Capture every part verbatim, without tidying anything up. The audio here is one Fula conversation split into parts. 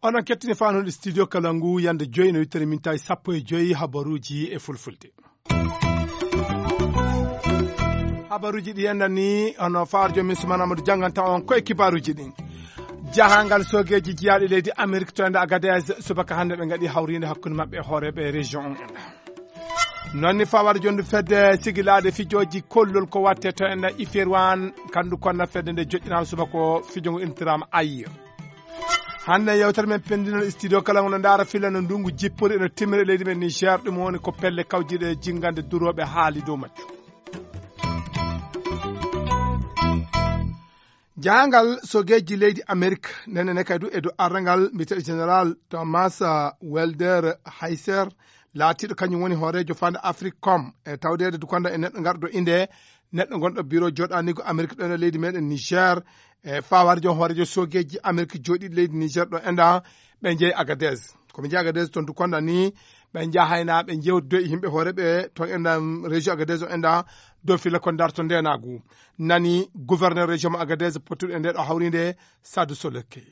Onon kettini fanude studio kala ngu yande joyi no wittere min tawi sappo e joyi habaruji e fulfulde. Habaruji ɗi enɗan ni hono faar joom min sumana amadou janganta on koye kibaruji ɗin. Jahangal sogeji jiyaɗi leydi amérique to enda agadez subaka hande ɓe gaɗi hawride hakkude mabɓe e hooreɓe région on enda. Noon ni fawata jonde fedde sigilade fijoji kollol ko watte to enda ifirwan kandu konna fedde nde joƴƴinama subaka o fijo ngo intirama ayir. Hande yewtere men pendinol studio kala ngo no ndaara filla no ndungu jippori eno timmira e leydi men niger ɗum woni ko pelle kawjiɗe jingande duroɓe haali dow majjum. Jahangal sogeji leydi amérique nene ne kay du e dow arrangal mbiteɗo général thomas welder hayser laatiɗo kañum woni hoorejo fande afrique com e tawdede dukonda e neɗɗo garɗo inde neɗɗo gonɗo bureau joɗanigo amérique ɗon e leydi meɗen niger e fawade joom hoorejo sogeji amérique joɗiɗo leydi niger ɗo enda ɓe jeeyi agadez komi jeeyi agadez toon dukonda ni ɓe jahayna ɓe jewtido e yimɓe hooreɓe toon enda région agadez o enda dow filla ko darto ndenagu nani gouverneur région mo agadez pottuɗo e nde ɗo hawride sadu solekkey.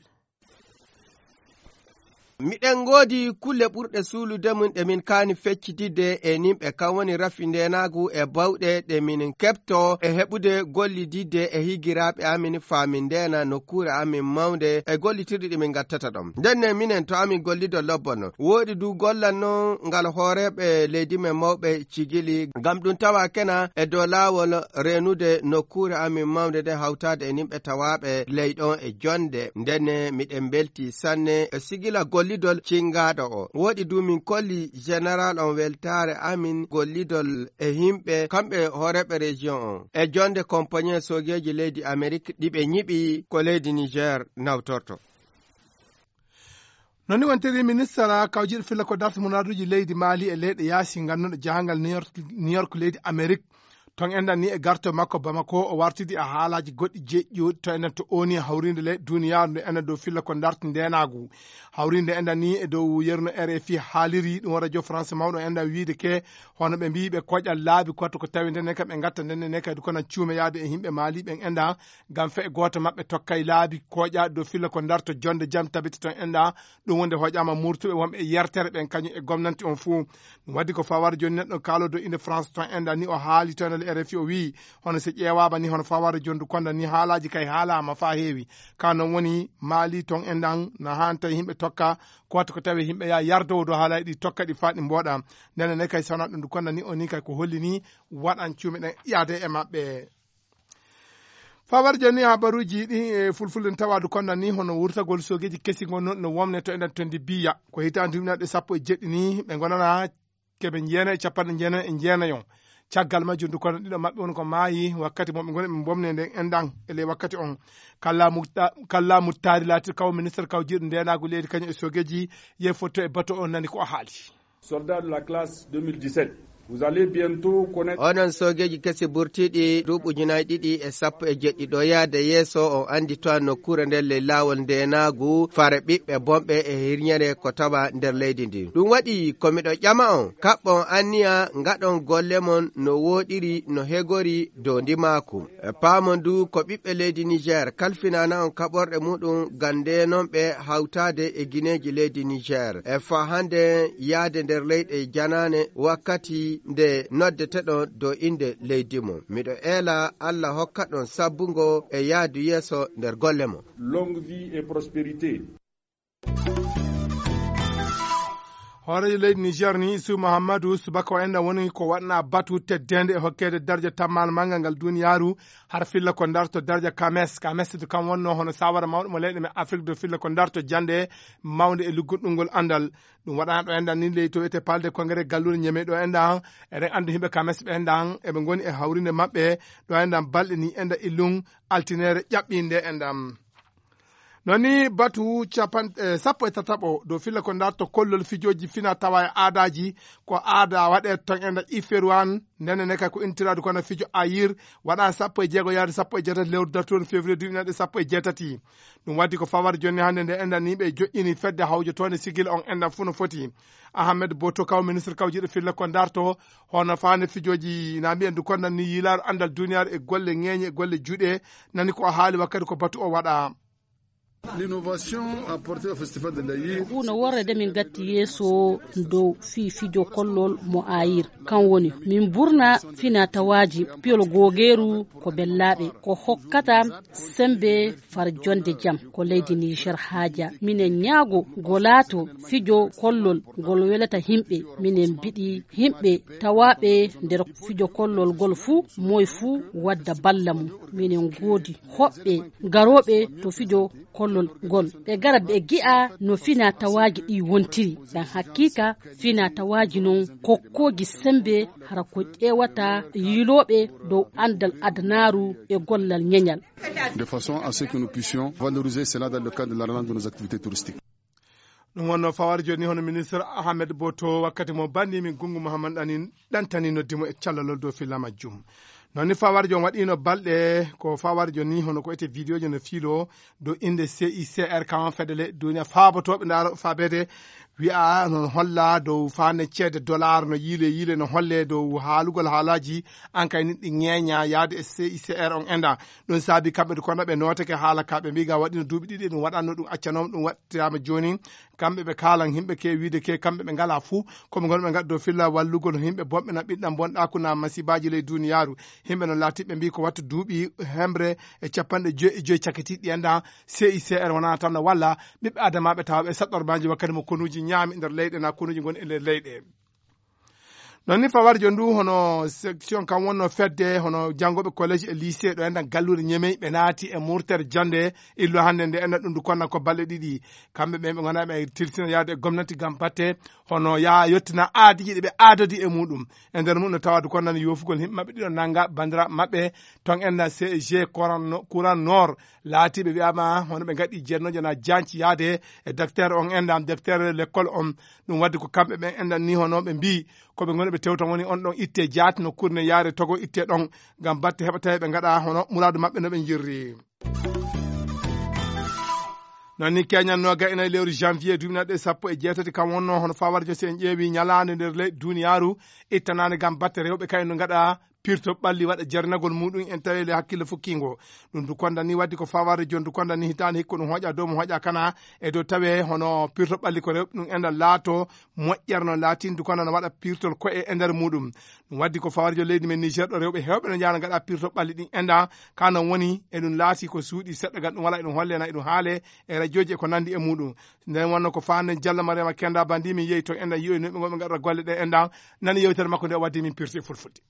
Miɗen ngoodi kulle ɓurɗe suulude mum ɗe min kaani feccididde e nimɓe, kam woni rafi ndeenaagu e bawɗe ɗe min keɓto e heɓude gollididde e higiraaɓe amin faa min ndeena nokkuure amin mawnde e gollitirɗi ɗi min ngattata ɗon. Ndenne minen to amin gollido lobbo non. Wooɗi du gollal non ngal hooreeɓe leydi men mawɓe cigili, ngam ɗum tawa kena e dow laawol reenude nokkuure amin mawnde nde hawtaade e nimɓe tawaaɓe ley ɗon e jonnde. Ndenne miɗen mbeltii sanne e sigila gollidol cinngaaɗo o. Wooɗi du min kolli jeneral on weltaare amin gollidol e yimɓe kamɓe hooreeɓe rejiyon on e jonnde kompañee soogeeji leydi Amerik ɗi ɓe ñiɓi ko leydi Nijeer nawtorto. Noon ni wontiri ministara kawjiɗo filla ko darta muraaduuji leydi Maali e leyɗe yaasi ngannduɗo jahangal New York, New York leydi Amerik. Ton enɗan ni e garto makko Bamako o wartidi e haalaaji goɗɗi jeƴƴuɗi to enɗan to oni hawrinde leyɗe duniyaaru nde enɗan dow filla ko darta ndenaagu. Hawrinde enɗan ni e dow yeru no R F I haaliri ɗum o radio France mawɗo enɗan wiide ke hono ɓe mbiyi ɓe koƴa laabi koto ko tawi ndenne kam ɓe gatta ndenne ne kadi kono cuume yaade e yimɓe Maali ɓen enɗan ngam fe gooto maɓɓe tokkay laabi kooƴaaɗi dow filla ko darto jonnde jam tabita ton enɗan. Ɗum wonde hoƴaama murtuɓe wonɓe e yertere ɓen kañum e gomnanti on fuu. Ɗum waɗi ko fawar jooni neɗɗo kaalo dow inde France ton enɗan ni o haali ton e R F I o wii hono so ƴeewaama ni hono fawar jooni du konda ni haalaaji kay haalaama faa heewi. Ka noon woni Maali ton enɗan na haani tawi yimɓe tokka ko watta ko tawi yimɓe yaa yardowo dow haalaaji ɗi tokka ɗi faa ɗi mbooɗa. Ndene ne kay sona ɗum du konda ni o ni kay ko holli ni waɗan cuume ɗen yaade e maɓɓe. Fawar joni habaruji ɗi e fulfulde ne tawa du konda ni hono wurtagol sogeji kesi gon no womne to enen tondi biya ko hitande duminaɗe sappo e jeɗɗi ni ɓe gonana keɓe jeena e capanɗe jeena e jeenayon. Caggal majjum du konda ɗiɗo maɓɓe woni ko maayi wakkati moɓe goni ɓe bomne nden endan e ley wakkati on. Kalla muttari latir kaw ministre kaw jiɗo ndenagu leydi kañum e sogeji yey fotto e bato on nani ko o haali. Soldat de la classe deux mille dix-sept, vous allez bientôt connaître. Onon soogeeji kesi burtiiɗi duuɓi ujunaaji ɗiɗi e sappo e jeɗɗi ɗo yahde yeeso on annditoa nokkuure nden ley laawol ndeenaagu fare ɓiɓɓe bonɓe e hirñere ko tawa nder leydi ndin. Ɗum waɗi ko miɗo ƴama on kaɓɓon anniya ngaɗon golle mon no wooɗiri no hegori dow ndimaaku. E paamon du ko ɓiɓɓe leydi Niger kalfinana on kaɓorɗe muɗum ngam ndeenon ɓe hawtaade e gineeji leydi Niger. E faa hannde yahde nder leyɗe janaane wakkati nde noddeteɗon dow innde leydi mon. Miɗo eela Alla hokkaɗon sabbungo e yahdu yeeso nder golle mon. Longue vie et prospérité. Hooreejo leydi Niger ni Isu Muhammadu subaka o enɗan woni ko waɗna batu teddende e hokkeede darja tammaal manngal ngal duniyaaru har filla ko darto darja kames kames to kam wonno hono sawara mawɗo mo leyɗe men Afrique do filla ko darto jannde mawnde e lugguɗɗungol anndal. Ɗum waɗana ɗo enɗan ni ley to wiyete palde congrès galluure ñeme ɗo enɗan eɗen anndi yimɓe kames ɓe enɗan eɓe ngoni e hawrinde maɓɓe ɗo enɗan balɗe ni enɗan illum altinere ƴaɓɓinde enɗan. Noon ni batu capan- eh, sappo e tataɓo dow filla ko ndarto kollol fijooji fina tawa e aadaaji, ko aada waɗee toon e nder Iferuwan, ndene ne kay ko intiraadu kono fijo ayir, waɗa sappo e jeego yaade sappo e jeetati lewru dartoon février duuɓi naɗe sappo e jeetati. Ɗum waddi ko fawar jonni hannde nde enɗan yimɓe joƴƴini fedde hawjotoonde sigil on enɗan fuu no foti. Ahmed Boto Kaw, ministre kawjiiɗo filla ko ndarto, hono faande fijooji na mbiyen du konnan ni yilaaru anndal duniyaaru e golle ŋeeñe e golle juuɗe, nani ko o haali wakkati ko batu o waɗa. L'innovation apportée au festival de l'Aïr. Huunde worre de min gatti yeeso dow fii fijo kollol mo ayir. Kan woni, min burna fina tawaaji piyol googeeru ko bellaaɓe, ko hokkata sembe far jonde jam ko leydi Niger haaja. Minen ñaago ngo laato fijo kollol ngol welata himɓe. Minen mbiɗi himɓe tawaaɓe nder fijo kollol ngol fuu, moy fuu wadda balla mum. Minen ngoodi hoɓɓe garooɓe to fijo kollol ngol. Ɓe gara ɓe gi'a no fina tawaaji ɗi wontiri. Ɗan hakiika fina tawaaji non kokkooji sembe hara ko ƴeewata yiilooɓe dow anndal adanaaru e gollal ñeñal. De façon à ce que nous puissions valoriser cela dans le cadre de la relance de nos activités touristiques. Ɗum wonno fawar joni hono ministre Ahmed Boto wakkati mo banndi min Gungu Muhammad Anin ɗantani noddi mo e callalol dow filla majjum. Noon ni fawar joni waɗino balɗe ko fawar joni hono ko ete vidéo ji no fiilo dow innde C I C R kan fedele duniya faabotooɓe ndaaro faabede wi'a no holla dow faande ceede dollar no yiile yiile no holle dow haalugol haalaaji an kay niɗɗi ŋeeña yaade e C I C R on enda. Ɗum saabi kamɓe kono ɓe nootake haala ka ɓe mbiga waɗino duuɓi ɗiɗi ɗum waɗanno ɗum accanooma ɗum waɗtirama joni. Kamɓe ɓe kaalan himɓe ke wiide ke kamɓe ɓe ngala fuu koɓe ngon ɓe ngaddo filla wallugol himɓe bonɓe na ɓiɗɗan bonɗaku na masibaji ley duniyaaru. Himɓe no laati ɓe mbi ko wattu duuɓi hemre e capanɗe joyi e joyi cakitiɗi enda C I C R wona tan no walla ɓiɓɓe adamaɓe tawa ɓe saɗɗormaji wakkati mo konuji ñaami nder leyɗe na konuji ngon e nder leyɗe. Noon ni fawar joni ndu hono section kam wonno fedde hono janngoɓe collège e lycée ɗo enɗan galluure ñemey ɓe naati e murtere jannde illo hannde nde enɗan ɗum ndu konna ko balɗe ɗiɗi. Kamɓe ɓe ɓe ngona ɓe tilsina yaade e gomnati ngam batte hono yaa yettina aadiji ɗi ɓe aadodi e muɗum. E nder mum no tawade konnani yofugol himɓe maɓɓe ɗiɗo nanga bandiraɓe maɓɓe ton enɗan C G courant no- courant nord laatiɓe wiyama hono ɓe gaɗi jeennojo na janci yaade e docteur on enɗan docteur l'école on. Ɗum wadde ko kamɓe ɓen enɗan ni hono ɓe mbi koɓe ngoni ɓe tewta woni on ɗon itte jaati no kurne yaare togo itte ɗon ngam batte heɓa tawi ɓe ngaɗa hono muradu maɓɓe no ɓe jirri. Noon ni keñan noga ina e lewru janvier duminaɗe sappo e jeetati kam wonno hono fawar jo si en ƴeewi ñalaande nder leyɗe duniyaaru ittanande ngam batte rewɓe kay no ngaɗa pirto ɓalli waɗa jarnagol muɗum en tawi le hakkille fukkingo. Ɗum du konda ni waddi ko fawar jon du konda ni hitaande hikko ɗum hoƴa dow mo hoƴa kana e dow tawe hono pirto ɓalli ko rewɓe ɗum enɗan laato moƴƴere no laatin du konda no waɗa pirtol koye e nder muɗum. Ɗum waddi ko fawar jo leydi men niger ɗo rewɓe hewɓe no jahana ngaɗa pirto ɓalli ɗin enɗan. Ka non woni eɗum laati ko suuɗi seɗɗa gal ɗum wala eɗum holle na eɗum haale e radioji e ko nandi e muɗum. Nden wonno ko fanden jalla mariama kenda bandi min yehi to enɗan yiyoy no ɓe gonɓe ngaɗata golle ɗe enɗan. Nani yewtere makko nde o waddi min pirti e fulfulde.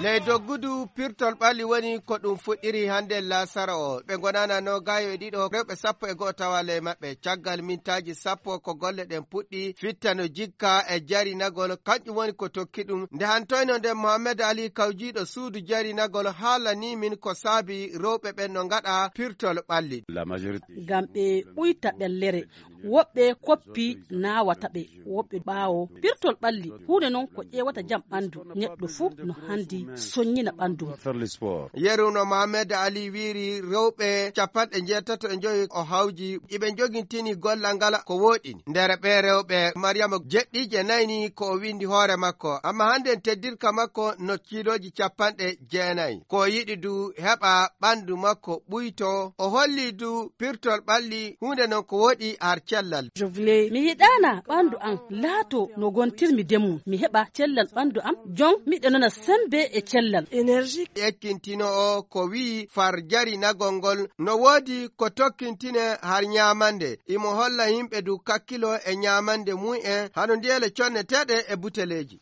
Ley doggudu pirtol ɓalli woni ko ɗum fuɗɗiri hannde laasara o. Ɓe ngonana no gayo e ɗiɗo rewɓe sappo e go'o tawa ley maɓɓe. Caggal mintaaji sappo ko golle ɗen puɗɗi fittano jikka e jarinagol kanƴum woni ko tokki ɗum. Nde hantoyno nde Mohamed Ali kawjiiɗo suudu jarinagol haalani min ko saabi rewɓe ɓen no ngaɗa pirtol ɓalli. Ngam ɓe ɓuyta ɓellere. Woɓɓe koppi naawata ɓe woɓɓe ɓaawo pirtol ɓalli huunde noon ko ƴeewata jam ɓanndu neɗɗo fuu no hanndi soññina ɓanndu mum. Yeru no mohamed ali wiiri rewɓe capanɗe njeetato e njoyi o hawji iɓe njogintini gollal ngal ko wooɗini nder ɓe rewɓe mariyama jeɗɗiije nayni ko o winndi hoore makko amma hannden teddirka makko no kiilooji capanɗe jeenayi ko o yiɗi du heɓa ɓanndu makko ɓuyto o holli du pirtol ɓalli huunde non ko woɗi har cellal. Mi yiɗaana ɓanndu am laato no ngontirmi de mum mi heɓa cellal ɓanndu am jon miɗo nana semmbe e cellal. Ekkintino o ko wi'i far jarinagol ngol no woodi ko tokkintine har ñaamande imo holla yimɓe du kakkilo e ñaamande mum en hano ndiyele conneteeɗe e buteleeji.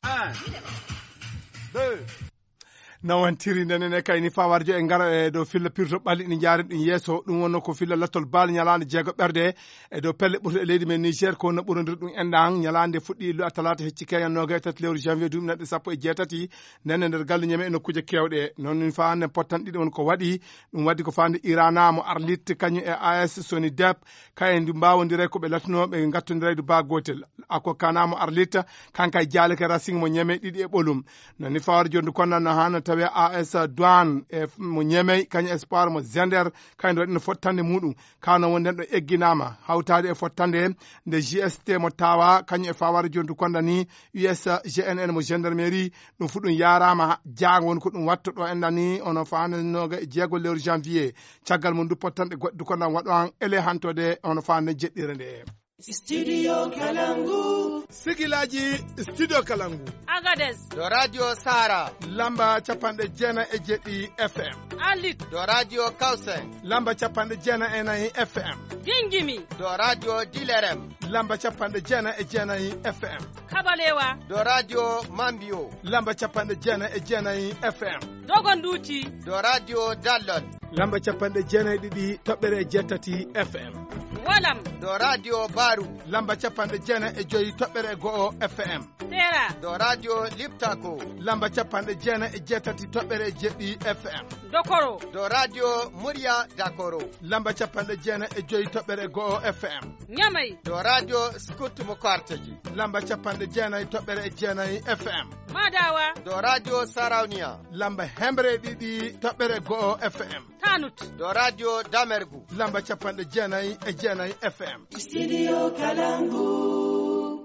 Nawantiri ndenen e kayni fawarjo e ngara e dow filla pirto ɓalli ɗi njaari ɗum yeeso. Ɗum wonno ko filla lattol baali ñalaande jeego ɓerde e dow pelle ɓurto e leydi men Niger, ko no ɓurondir ɗum enɗan. Ñalaande fuɗɗi illu a talaata hecci keñan nooga e tati lewru janvier duuɓi naɗɗe sappo e jeetati. Ndenen nder galle ñeme e nokkuuje keewɗe. Noon min faande pottan ɗiɗi on ko waɗi. Ɗum waɗi ko faande Irana mo Arlit kañum e A S Sony Dep. Kayen du mbaawondiray ko ɓe latunooɓe ngattondiray du baa gootel. Ako Kana mo Arlit, kanka e jaalike Racing mo ñeme ɗiɗi e ɓolum. Nani fawar jondu konnan no hano tawe A S Douane e f-, mo ñeme, kañum Espoir mo Zender, kayen waɗino fottande muɗum. Kano wonden ɗo egginaama, hawtaade e fottande nde G S T mo tawa, kañum e fawar jondu konda ni U S G N N mo gendarmerie, ɗum fu ɗum yaaraama ha-, jaango woni ko ɗum watto ɗo enɗan ni, ono faande nooga e jeego lewru janvier. Caggal mum du pottanɗe goɗɗe du kondan waɗo an ele hantode, ono faande jeɗɗire nde. Studio Kalangu. Sigilaji Studio Kalangu. Agadez. Ɗo Radio Sara. Lamba capanɗe jeenayi e jeɗɗi F M. Alit. Ɗo Radio Kausen. Lamba capanɗe jeenayi e nayi F M. Gingimi. Ɗo Radio Dilerem. Lamba capanɗe jeenayi e jeenayi F M. Kabalewa. Ɗo Radio Mambio. Lamba capanɗe jeenayi e jeenayi F M. Dogonduti. Ɗo Radio Dallon. Lamba capanɗe jeenayi e ɗiɗi toɓɓere e jeetati F M. Walam. Ɗo Radio Baru. Lamba capanɗe jeenayi e joyi toɓɓere e go'o F M. Tera. Ɗo Radio Liptako. Lamba capanɗe jeenayi e jeetati toɓɓere e jeɗɗi F M. Dokoro. Ɗo Radio Murya Dakoro. Lamba capanɗe jeenayi e joyi toɓɓere e go'o F M. Ñamay. Ɗo Radio Scout mo Karteji. Lamba capanɗe jeenayi toɓɓere e jeenayi F M. Madawa. Ɗo Radio Sarawniya. Lamba hemre e ɗiɗi toɓɓere e go'o F M. Tanut. Ɗo Radio Damergu. Lamba capanɗe jeenayi e jeenayi F M. Studio Kalangu.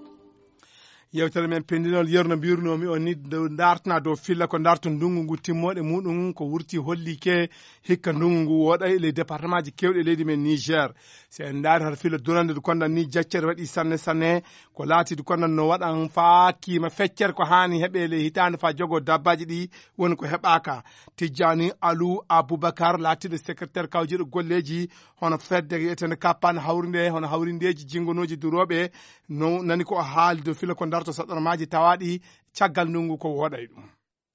Yewtere men pendinol yerno mbirunoomi on ni, nde dartana dow filla ko darto ndungu ngu timmoɗe muɗum ko wurti hollike hikka ndungu ngu woɗay e ley département ji kewɗi e leydi men Niger. Si en ndaari hara filla durande ndu kondan ni jaccere waɗi sanne sanne, ko laati ndu kondan no waɗan faa kiima feccere ko haani heɓe ley hitaande faa jogo dabbaji ɗi woni ko heɓaaka. Tijjani Alu Abubakar laatiɗo secrétaire kawjiɗo golleji hono fedde yetende kappane hawrinde, hono hawrindeji jingonoji durooɓe, no nani ko o haali dow filla ko darto saɗɗormaji tawaɗi caggal ndungu ko woɗay ɗum.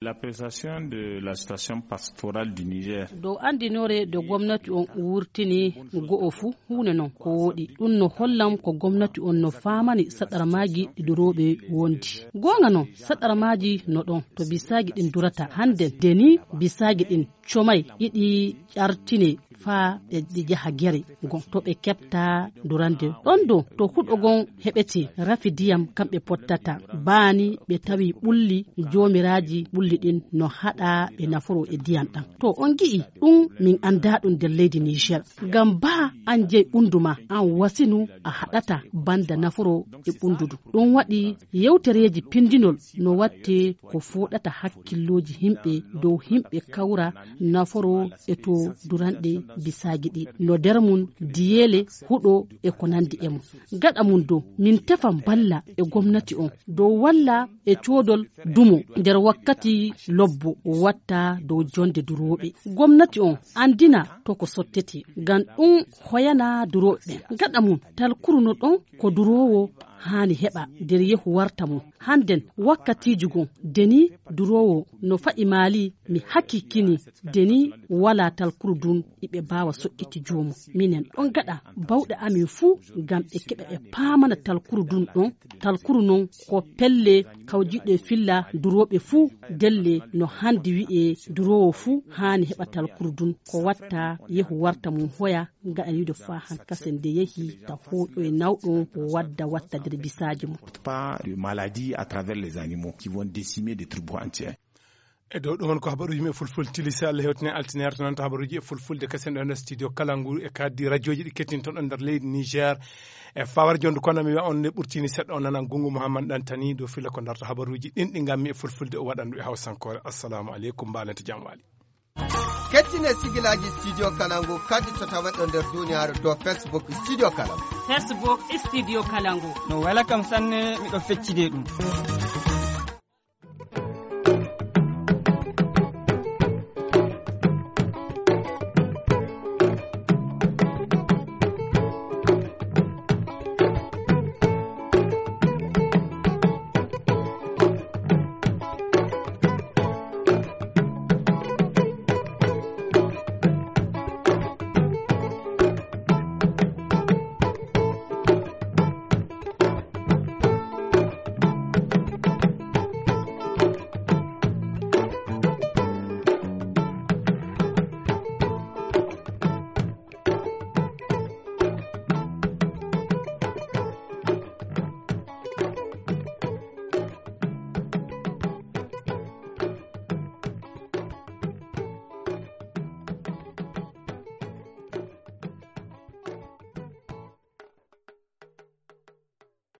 L'appréciation de la situation pastorale du Niger. Dow andinore de gomnati on wurtini go'o fu huune non ko woɗi. Ɗum no hollam ko gomnati on no faamani saɗɗarmaji ɗi durooɓe wondi. Goonga non, saɗɗarmaji no ɗon to bisaaji ɗin durata. Hande de ni bisaaji ɗin comay iɗi ƴartine faa ɗe, ɗe jaha gere gon to ɓe keɓta durande. Ɗon do to huɗo gon heɓete rafi diyam kamɓe pottata. Baani ɓe tawi ɓulli, joomiraaji ɓulli ɗin no haɗa ɓe naforo e diyam ɗam. To on gi'i ɗum min anndaa ɗum nder leydi Niger. Ngam baa an jey ɓundu ma an wasinu a haɗata banda naforo e ɓundu du. Ɗum waɗi yewtereeji pindinol no watte ko fooɗata hakkillooji himɓe dow himɓe kawra naforo e to duranɗe bisaaji ɗi. No nder mum diyeele, huɗo e ko nandi e mum. Gaɗa mum dow min tefa mballa e gomnati on dow walla e coodol dumo nder wakkati lobbo watta dow jonde durooɓe. Gomnati on andina to ko sottete ngam ɗum hoyana durooɓe ɓen. Gaɗa mum talkuru no ɗon ko duroowo haani heɓa nder yehu warta mum. Hannden wakkatiiji gon deni duroowo no fa'i maali mi hakikkini deni wala talkuru dun iɓe baawa soƴƴiti joomum. Minen ɗon gaɗa bawɗe amin fuu ngam ɓe keɓa ɓe paamana talkuru dun ɗon. Talkuru non ko pelle kawjiɗe filla durooɓe fuu delle no handi wi'e duroowo fuu haani heɓa talkuru dun ko watta yehu warta mum hoya gaɗaniiɗo faa han kasen nde yehi ta hooƴoye nawɗo wadda watta nder bisaaji mum. Pas de maladie à travers les animaux qui vont décimer des tribus entiers. E dow ɗum won ko habaruuji men fulfulde tilisa Allah hewtine altine arta noon to habaruuji e fulfulde kasen ɗo e nder studio Kalangu e kaddi rajooji ɗi kettinton ɗon nder leydi Niger. E fawar jondu kono mi wi'a on nde ɓurtini seɗɗa o nanan Gungu Muhammad Dantani dow filla ko darto habaruuji ɗin ɗi ngammi e fulfulde o waɗandu e hawsankoore. Assalamu aleykum, mbaanete jam waali. Kettine sigilaaji Studio Kalangu kadi to taweɗo nder duniyaaru dow Facebook Studio Kalangu. Facebook Studio Kalangu. No wela kam sanne, miɗo feccide ɗum.